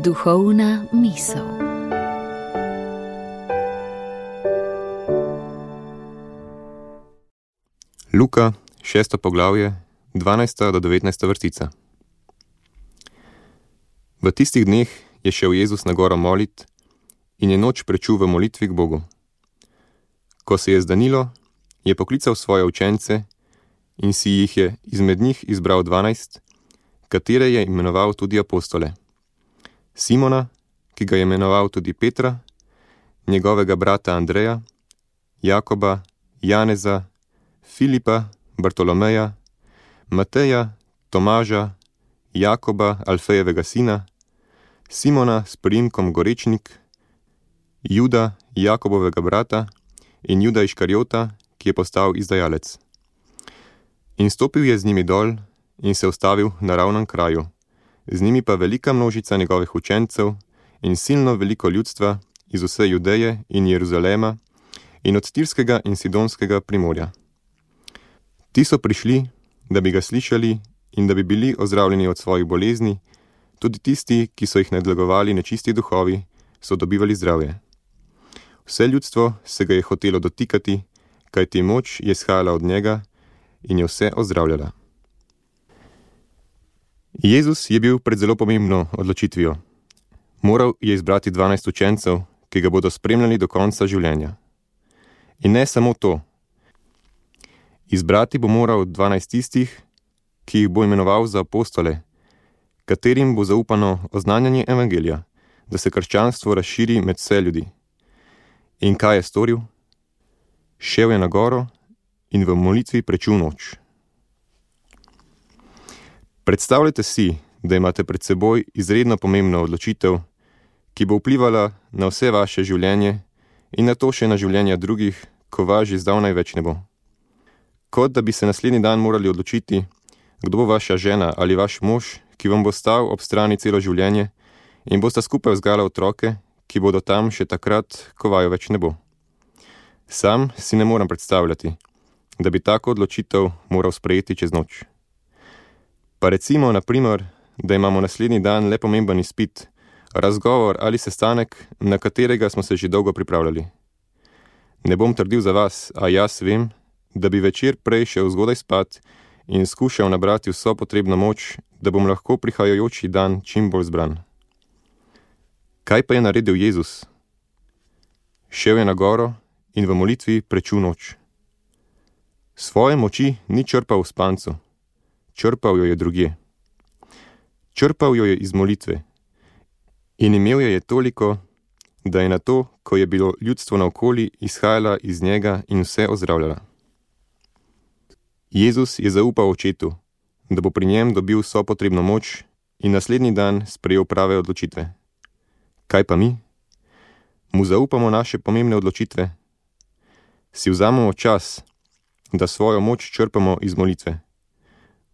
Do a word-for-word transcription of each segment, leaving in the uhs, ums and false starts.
Duhovna misel. Luka, šesto poglavje, dvanajsta do devetnajsta vrstica. V tistih dneh je šel Jezus na goro molit in je noč prečul v molitvi k Bogu. Ko se je zdanilo, je poklical svoje učence in si jih je izmed njih izbral dvanajst, katere je imenoval tudi apostole. Simona, ki ga je imenoval tudi Petra, njegovega brata Andreja, Jakoba, Janeza, Filipa, Bartolomeja, Mateja, Tomaža, Jakoba, Alfejevega sina, Simona s priimkom Gorečnik, Juda, Jakobovega brata in Juda Iškarjota, ki je postal izdajalec. In stopil je z njimi dol in se ustavil na ravnem kraju, z njimi pa velika množica njegovih učencev in silno veliko ljudstva iz vse Judeje in Jeruzalema in od Tirskega in Sidonskega primorja. Ti so prišli, da bi ga slišali in da bi bili ozdravljeni od svojih bolezni, tudi tisti, ki so jih nadlegovali nečisti duhovi, so dobivali zdravje. Vse ljudstvo se ga je hotelo dotikati, kajti moč je shajala od njega in je vse ozdravljala. Jezus je bil pred zelo pomembno odločitvijo. Moral je izbrati dvanajst učencev, ki ga bodo spremljali do konca življenja. In ne samo to. Izbrati bo moral dvanajst tistih, ki jih bo imenoval za apostole, katerim bo zaupano oznanjanje evangelija, da se krščanstvo razširi med vse ljudi. In kaj je storil? Šel je na goro in v molitvi prečul noč. Predstavljajte si, da imate pred seboj izredno pomembno odločitev, ki bo vplivala na vse vaše življenje in na to še na življenja drugih, ko vas že zdavnaj več ne bo. Kot da bi se naslednji dan morali odločiti, kdo bo vaša žena ali vaš mož, ki vam bo stal ob strani celo življenje in bosta skupaj vzgajala otroke, ki bodo tam še takrat, ko vaju več ne bo. Sam si ne morem predstavljati, da bi tako odločitev moral sprejeti čez noč. Pa recimo, na primer, da imamo naslednji dan le pomemben izpit, razgovor ali sestanek, na katerega smo se že dolgo pripravljali. Ne bom trdil za vas, a jaz vem, da bi večer prej šel zgodaj spat in skušal nabrati vso potrebno moč, da bom lahko prihajajoči dan čim bolj zbran. Kaj pa je naredil Jezus? Šel je na goro in v molitvi prečul noč. Svoje moči ni črpal v spancu, črpal jo je drugje. Črpal jo je iz molitve in imel jo je toliko, da je na to, ko je bilo ljudstvo naokoli, izhajala iz njega in vse ozdravljala. Jezus je zaupal očetu, da bo pri njem dobil vso potrebno moč in naslednji dan sprejel prave odločitve. Kaj pa mi? Mu zaupamo naše pomembne odločitve? Si vzamemo čas, da svojo moč črpamo iz molitve?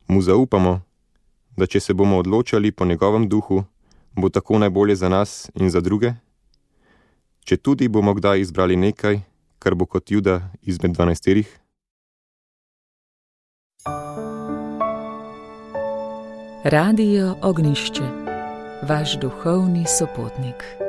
Mu zaupamo, da če se bomo odločali po njegovem duhu, bo tako najbolje za nas in za druge? Če tudi bomo kdaj izbrali nekaj, kar bo kot Juda izmed dvanajsterih? Radio Ognjišče, vaš duhovni sopotnik.